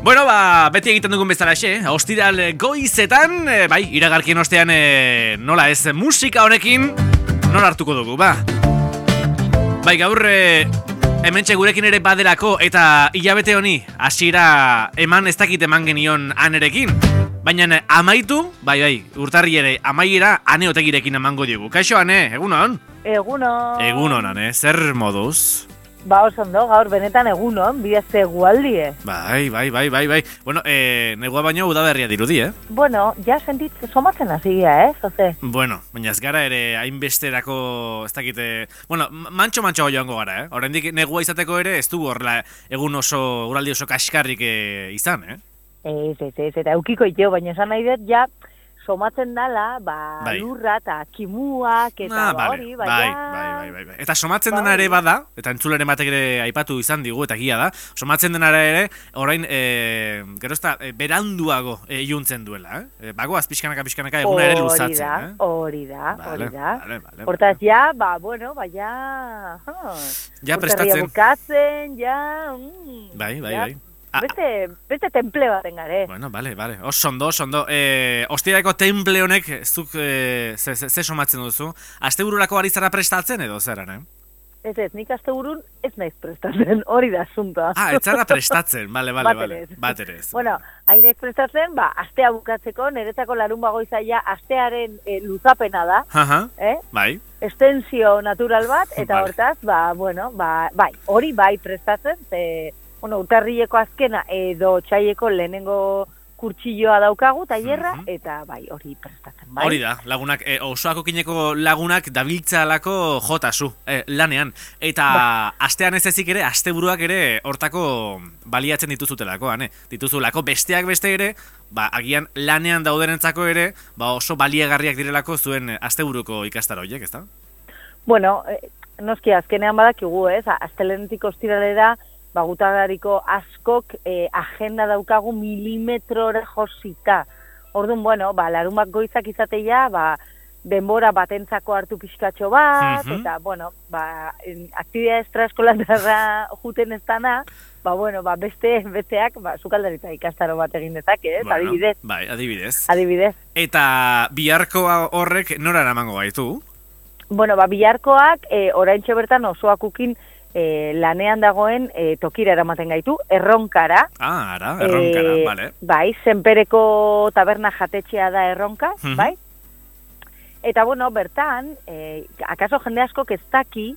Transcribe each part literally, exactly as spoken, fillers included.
Bueno, ba, beti egiten dugun bezalaxe, ostiral goizetan, e, bai, iragarkien ostean e, nola ez musika honekin, nola hartuko dugu, ba. Bai, gaur e, hementxe gurekin ere badelako eta hilabete honi hasiera eman ez dakit eman genion anerekin. Baina amaitu, bai, bai, urtarri ere amaiera ane otegirekin emango dugu. Kaixo, ane, egunon? Egunon. Egunon, ane, zer moduz? Ba, oso ondo, gaur benetan egunon, bidezte egualdie. Bai, bai, bai, bai, bai. Bueno, eh, negua baino udaberria dirudi, eh? Bueno, ja sentit somatzen hasia, eh, zoze? Bueno, baina ez gara ere hainbesterako, ez dakite... Bueno, mantxo-mantxo joango gara, eh? Oraindik negua izateko ere ez dugu horrela egun oso, uraldi oso kaskarrik eh, izan, eh? Ez, ez, ez, eta eukiko iteo, baina esan nahi dut, ja, somatzen dala, ba, bai. Lurra eta kimuak, eta ah, ba, vale. hori, bai, baina... bai, bai, bai, bai. Eta somatzen ba, dena ere bada, eta entzuleren batek ere aipatu izan digu, eta gia da, somatzen dena ere, orain, e, gero ez da, e, beranduago e, iuntzen duela, eh? E, Bagoaz pixkanaka, pixkanaka eguna ere luzatzen, eh? Hori da, hori vale, da. Vale, vale, Hortaz, ja, ba, bueno, ba, ja... Ja prestatzen. bukatzen, ja... Mm, bai, bai, ja. bai. Ah, beste, beste temple baten gare. Bueno, vale, vale. Oso ondo, oso ondo. Eh, Ostirako temple honek zuk eh, ze, ze, ze somatzen duzu? Astebururako ari zara prestatzen edo zeran, eh? Ez ez, nik asteburun ez naiz prestatzen, hori da asuntoa. Ah, ez zara prestatzen, bale, bale, bale. Baterez. Baterez. Bueno, hain naiz prestatzen, ba, astea bukatzeko, niretzako larun bagoizaia astearen e, luzapena da. Aha, eh? bai. Estensio natural bat, eta Vale. hortaz, ba, bueno, ba, bai, hori bai prestatzen, ze... Bueno, urtarrileko azkena edo txaieko lehenengo kurtsilloa daukagu, tailerra, Mhm. eta bai, hori prestatzen, bai. Hori da, lagunak, e, osoako kineko lagunak dabiltzalako jotasu, e, lanean. Eta astean ez ezik ere, asteburuak ere hortako baliatzen dituzutelako, ane? Dituzulako besteak beste ere, ba, agian lanean daudenentzako ere, ba, oso baliagarriak direlako zuen asteburuko ikastaro horiek, ezta? Bueno, eh, noski azkenean badakigu, ez? Astelenetik ostiralera, ba, gutagariko askok eh, agenda daukagu milimetrora josita. Orduan, bueno, ba, larumak goizak izateia, ba, denbora batentzako hartu pixkatxo bat, Mhm. eta, bueno, ba, aktibidea estraeskolantarra juten ez dana, ba, bueno, ba, beste, besteak, ba, sukaldaritza ikastaro bat egin dezake, ez? Bueno, adibidez. Bai, adibidez. Adibidez. Eta biharko horrek nora eramango gaitu? Bueno, ba, biharkoak, e, oraintxe bertan osoakukin e, lanean dagoen e, tokira eramaten gaitu, erronkara. Ah, ara, erronkara, E, bale. Bai, zenpereko taberna jatetxea da erronka, Mhm. bai? Eta, bueno, bertan, e, akaso jende askok ez daki,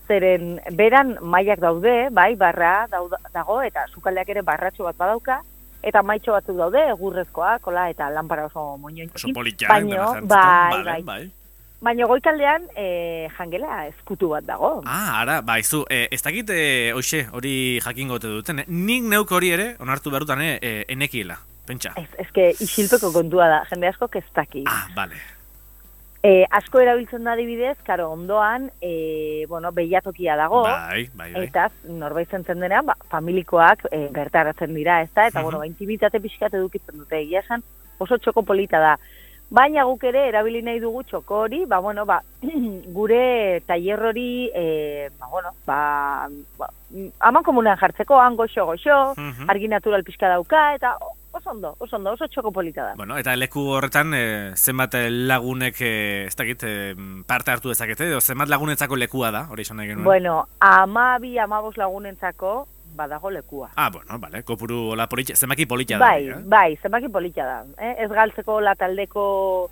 zeren beran mailak daude, bai, barra dauda, dago, eta sukaldeak ere barratxo bat badauka, eta maitxo batzuk daude, egurrezkoa, kola, eta lanpara oso moñointzekin. Oso politia, baino, dena bai, jantzuten, bai. bai. Baina goikaldean e, jangela eskutu bat dago. Ah, ara, baizu, e, ez dakit, e, hoxe, hori jakingote duten, eh? Nik neuk hori ere, onartu behar dutan, e, enekiela, pentsa. Ez, ezke isilpeko kontua da, jende asko ez daki. Ah, bale. E, asko erabiltzen da adibidez, karo, ondoan, e, bueno, behiatokia dago, Bai, bai, bai. eta norbait zentzen denean, ba, familikoak e, bertaratzen dira, ez da, eta, Mhm. bueno, ba, intimitate pixkat edukitzen dute, egia esan, oso txoko polita da. Baina guk ere erabili nahi dugu txoko hori, ba, bueno, ba, gure tailer hori, e, ba, bueno, ba, ba, aman komunean jartzeko, han goxo-goxo, Mhm. argi natural pixka dauka, eta oso ondo, oso ondo, oso txoko polita da. Bueno, eta leku horretan, e, zenbat lagunek, e, ez dakit, e, parte hartu dezakete, edo zenbat lagunentzako lekua da, hori esan nahi genuen. Bueno, amabi, amabos lagunentzako, badago lekua. Ah, bueno, bale, kopuru hola politxa, zenbaki politxa da. Bai, hori, eh? bai, zenbaki politxa da. Eh? Ez galtzeko la taldeko,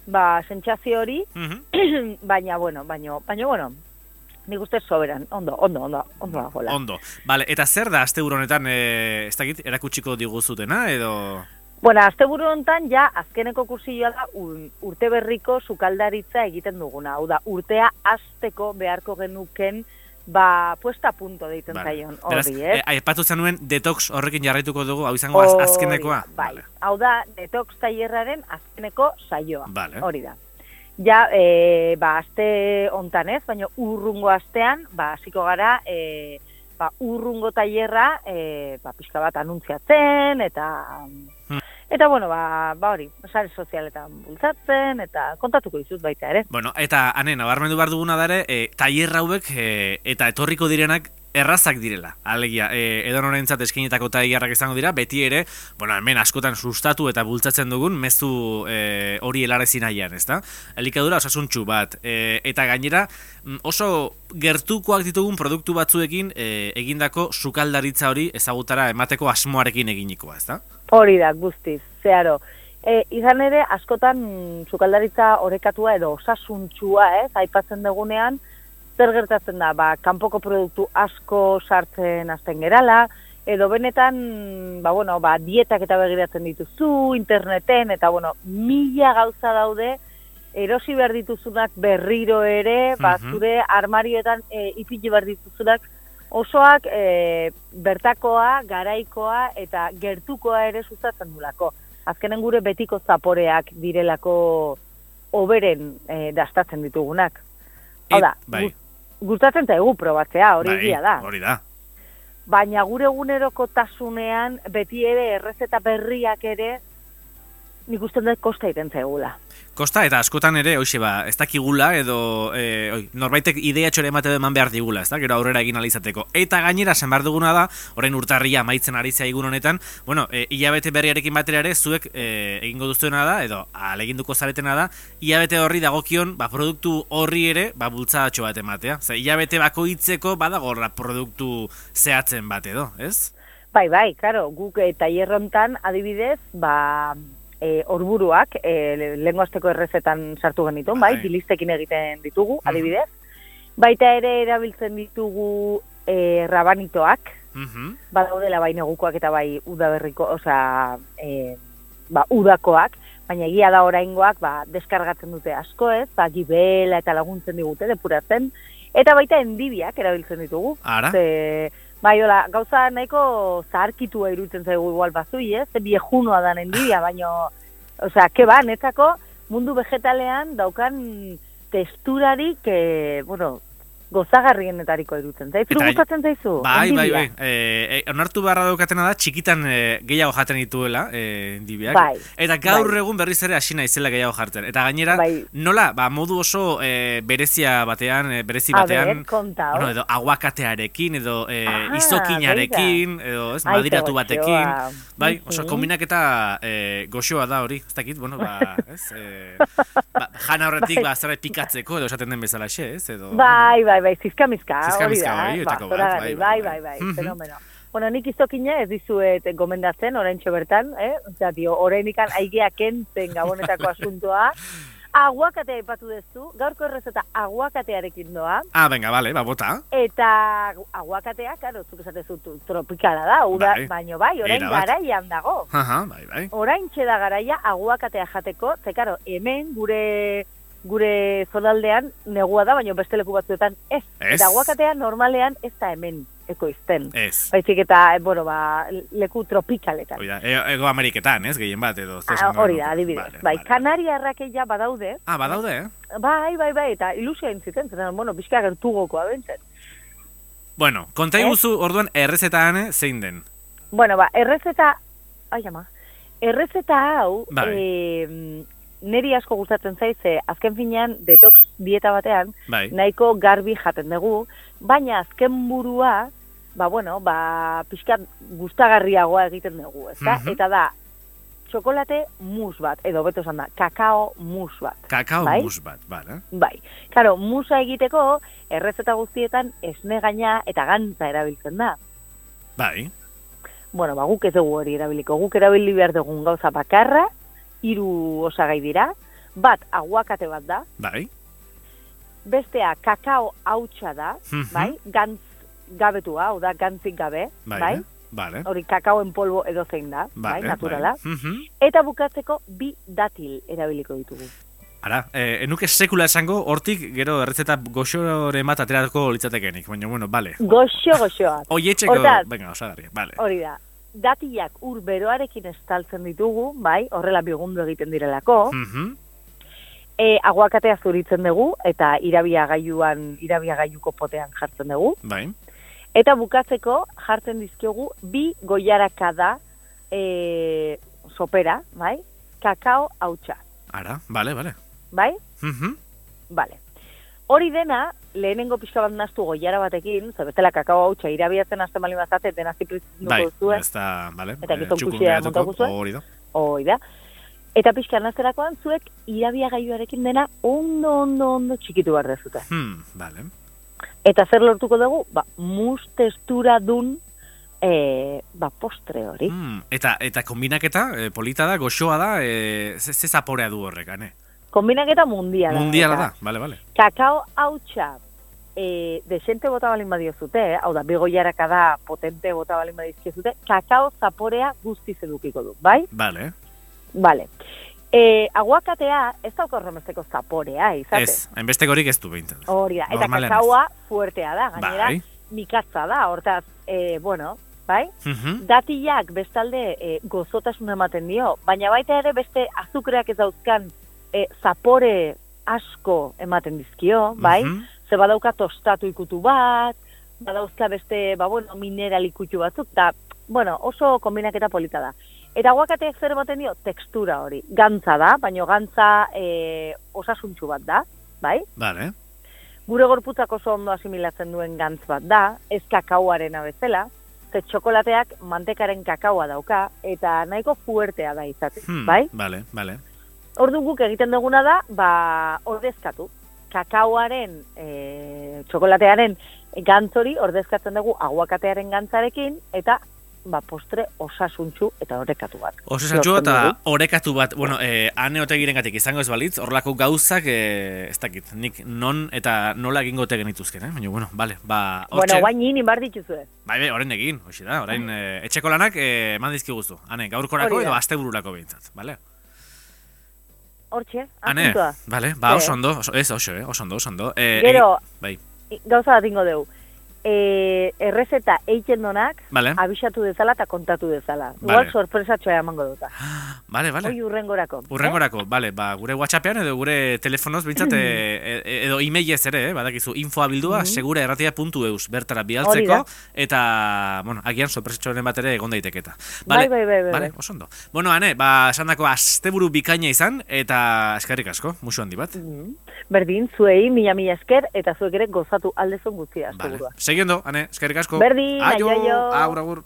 ba, sentsazio hori, Mhm. baina, bueno, baina, baina, bueno, nik uste soberan, ondo, ondo, ondo, ondo dagoela. Ondo. Bale, eta zer da asteburu honetan, e, ez dakit, erakutsiko diguzutena, edo... Bueno, asteburu honetan ja azkeneko kursioa da un, urte berriko sukaldaritza egiten duguna. Hau da, urtea hasteko beharko genuken, ba, puesta a punto deiten zaion Beraz, hori, eh? e, aipatu zenuen detox horrekin jarraituko dugu, hau izango az, azkenekoa? Bai, Vale. hau da, detox tailerraren azkeneko saioa, Vale. hori da. Ja, e, ba, aste hontan ez, baina urrungo astean, ba, hasiko gara, e, ba, urrungo tailerra, e, ba, pixka bat anuntziatzen, eta... Hmm. Eta, bueno, ba, ba hori, sare sozialetan bultzatzen, eta kontatuko dizut baita ere. Bueno, eta, ane, nabarmendu behar duguna dare, e, tailer hauek e, eta etorriko direnak errazak direla. Alegia, e, edonorentzat eskinetako tailerrak izango dira, beti ere, bueno, hemen askotan sustatu eta bultzatzen dugun, mezu e, hori helarezi nahian, ezta? Elikadura osasuntsu bat, e, eta gainera, oso gertukoak ditugun produktu batzuekin e, egindako sukaldaritza hori ezagutara emateko asmoarekin eginikoa, ezta? Hori da, guztiz, zeharo. E, izan ere, askotan sukaldaritza orekatua edo osasuntsua, ez, aipatzen dugunean, zer gertatzen da, ba, kanpoko produktu asko sartzen hasten gerala, edo benetan, ba, bueno, ba, dietak eta begiratzen dituzu, interneten, eta, bueno, mila gauza daude, erosi behar dituzunak berriro ere, ba, zure armarioetan e, ipini behar dituzunak, osoak e, bertakoa, garaikoa eta gertukoa ere sustatzen dulako. Azkenen gure betiko zaporeak direlako oberen e, dastatzen ditugunak. Hau da, bai. Gustatzen zaigu probatzea, hori bai, egia da. Hori da. Baina gure eguneroko tasunean beti ere errezeta berriak ere nik usten dut kosta iten zaigula. Kosta eta askotan ere, hoxe ba, ez dakigula edo e, oi, norbaitek idea txore emate eman behar digula, ez da, gero aurrera egin alizateko. Eta gainera, zen behar duguna da, orain urtarria amaitzen ari zaigun honetan, bueno, e, hilabete berriarekin batera ere, zuek e, egingo duztuena da, edo aleginduko zaretena da, hilabete horri dagokion, ba, produktu horri ere, ba, bultzatxo bat ematea. Zer, hilabete bakoitzeko badagorra produktu zehatzen bat edo, ez? Bai, bai, karo, guk eta hierrontan adibidez, ba... E, orburuak, e, lehengo azteko errezetan sartu genitun, bai, bilistekin egiten ditugu, adibidez. Baita ere erabiltzen ditugu e, rabanitoak, uh-huh. Badaudela bai negukoak eta bai udaberriko, osea, e, ba, udakoak, baina egia da oraingoak, ba, deskargatzen dute asko ez, ba, gibela eta laguntzen digute, depuratzen, eta baita endibiak erabiltzen ditugu. Ara? Ze, bai, hola, gauza nahiko zaharkitua iruditzen zaigu igual bazui, ez? Viejunoa da endidia, baino, osea, ke ba, netzako mundu vegetalean daukan testurarik, eh, bueno, gozagarrienetariko iruditzen zaizu. Zuru gustatzen zaizu? Bai, bai, bai. Eh, eh, onartu beharra daukatena da, txikitan eh, gehiago jaten dituela, eh, endibiak. Bai. Eta gaur bai. egun berriz ere hasi naizela gehiago jartzen. Eta gainera, bai. nola, ba, modu oso eh, berezia batean, eh, berezi batean, A ber, kontau. Bueno, edo aguakatearekin, edo eh, ah, izokinarekin, edo, ez, Aita madiratu batekin. Bai, oso uh-huh. kombinaketa eh, goxoa da hori, ez dakit, bueno, ba, ez, eh, ba, jana horretik, bai. ba, zerbait pikatzeko, edo esaten den bezala xe, ez, edo... Bai, bai, bai, zizkamizka, hori da, hori, ba, bai, bai, bai, bai, fenomeno. Bueno, nik izokina ez dizuet gomendatzen, oraintxo bertan, eh? Osea, tio, orainikan aigea kentzen gabonetako asuntoa. Aguakatea ipatu dezu, gaurko errezeta aguakatearekin doa. Ah, venga, vale, ba, bota. Eta aguakatea, karo, zuk esatezu tropikala da, uda, bai. Baino bai, orain garaian dago. Aha, bai, bai. Oraintxe da garaia aguakatea jateko, ze karo, hemen gure... gure zonaldean negua da, baina beste leku batzuetan ez. ez. Eta aguakatea normalean ez da hemen ekoizten. Ez. Baizik eta, bueno, ba, leku tropikaletan. Oida, Ego Ameriketan, ez, gehien bat, edo. Ah, hori da, adibidez. Vale, bai, vale. Kanariarrakeia badaude. Ah, badaude, eh? Bai, bai, bai, eta ilusia entziten, zen, bueno, bizka gertugokoa bentzen. Bueno, konta iguzu, orduan, errezeta hane, zein den? Bueno, ba, errezeta, ai ama, errezeta hau, bai. eh, neri asko gustatzen zaize, azken finean, detox dieta batean, bai. nahiko garbi jaten dugu, baina azken burua, ba, bueno, ba, pixkat gustagarriagoa egiten dugu, ezta? Uh-huh. Eta da, txokolate mus bat, edo beto esan da, kakao mus bat. Kakao bai? mus bat, bale. Bai. Karo, musa egiteko, errezeta guztietan esne gaina eta gantza erabiltzen da. Bai. Bueno, ba, guk ez dugu hori erabiliko. Guk erabili behar dugun gauza bakarra, hiru osagai dira, bat aguakate bat da, bai. Bestea kakao hautsa da, mm-hmm. bai, gantz gabetua, hau da, gantzik gabe, bai, bai? Vale. Hori kakao en polvo edo zein da, vale, bai, naturala, bai. Mm-hmm. Eta bukatzeko bi datil erabiliko ditugu. Ara, eh, enuke sekula esango, hortik gero errezeta goxore bat aterako litzatekenik, baina, bueno, bale. Goxo, goxoa. Oietxeko, venga, osagarri, bale. Hori da. Datilak ur beroarekin estaltzen ditugu, bai, horrela bigundu egiten direlako. Mm-hmm. E, aguakatea zuritzen dugu, eta irabiagailuan, irabiagailuko potean jartzen dugu. Bai. Eta bukatzeko jartzen dizkiogu bi goiarakada, e, sopera, bai? Kakao hautsa. Ara, bale, bale. Bai? Mhm. Bale. Hori dena, lehenengo pixka bat naztu goiara batekin, ze bestela kakao hautsa irabiatzen hasten bali bazate, dena ziprizuko bai, zuen. ez da, bale. Eta gizon txukun kuxia geratuko, montauko zuen. hori da. Hoi da. Eta pixka nazterakoan zuek irabia gaiuarekin dena ondo, ondo, ondo txikitu behar dezute. Hmm, bale. Eta zer lortuko dugu? Ba, mus testura dun e, ba, postre hori. Hmm, eta, eta kombinaketa, e, polita da, goxoa da, e, ze, ze zaporea du horrek, ane? Kombinaketa mundiala. Mundiala eta da, bale, bale. Kakao hautsa e, desente bota balin badio zute, eh? Hau da, begoiaraka da potente bota balin badizke zute, kakao zaporea guztiz edukiko du, bai? Bale. Bale. E, aguakatea ez dauka horremesteko zaporea, izate? Ez, hainbestekorik ez du behintzen. Hori da, eta Normalean kakaoa fuertea da, gainera, Bai. mikatza da, hortaz, e, bueno, bai? Mhm. Datilak bestalde e, gozotasun ematen dio, baina baita ere beste azukreak ez dauzkan e, zapore asko ematen dizkio, bai? Mhm. Ze badauka tostatu ikutu bat, badauzka beste, ba, bueno, mineral ikutu batzuk, eta, bueno, oso kombinaketa polita da. Eta aguakateak zer ematen dio? Tekstura hori. Gantza da, baina gantza e, osasuntxu bat da, bai? Bale. Gure gorputzak oso ondo asimilatzen duen gantz bat da, ez kakaoaren abezela, ze txokolateak mantekaren kakaoa dauka, eta nahiko fuertea da izaten, Hmm, bai? Bale, bale. Ordu guk egiten duguna da, ba, ordezkatu. Kakaoaren, e, txokolatearen gantzori ordezkatzen dugu aguakatearen gantzarekin, eta ba, postre osasuntxu eta orekatu bat. Osasuntxu Lortzen eta dugu. orekatu bat, bueno, eh, ane otegiren gatik izango ez balitz, horlako gauzak, eh, ez dakit, nik non eta nola egingo ote genituzken, eh? Baina, bueno, bale, ba, hortxe. Bueno, guain nini bar dituzue. Bai, bai, orain egin, hoxe da, orain eh, etxeko lanak eh, eman dizkiguzu. Ane, gaurkorako Hori da. edo astebururako behintzat, bale? Hortxe, Ane, asuntua. bale, ba, Eh. oso ondo, oso, ez, oso, eh, oso ondo, oso ondo. Eh, Gero, egi- bai, gauza bat ingo dugu. E, errezeta eiten donak, bale, abisatu dezala eta kontatu dezala. Vale. Igual sorpresatxoa emango duta. bale, bale. Hoi urrengorako. Urrengorako, bale, ba, gure WhatsAppean edo gure telefonoz, bintzat, e, e, edo e-mailez ere, eh, badakizu, infoa bildua, Mhm. segura erratia puntu eus, bertara Hori bialtzeko, da. eta, bueno, agian sorpresatxoren bat ere egon daiteketa. Bai, bai, bai, bai, Bale, bai. oso ondo. Bueno, ane, ba, esan dako, asteburu bikaina izan, eta eskerrik asko, musu handi bat. Mhm. Berdin, zuei, mila mila esker, eta zuek ere gozatu aldezon guztia, Vale. segurua. Segiondo, ane, eskerrik asko. Berdin, aio, aio, aio. agur, agur.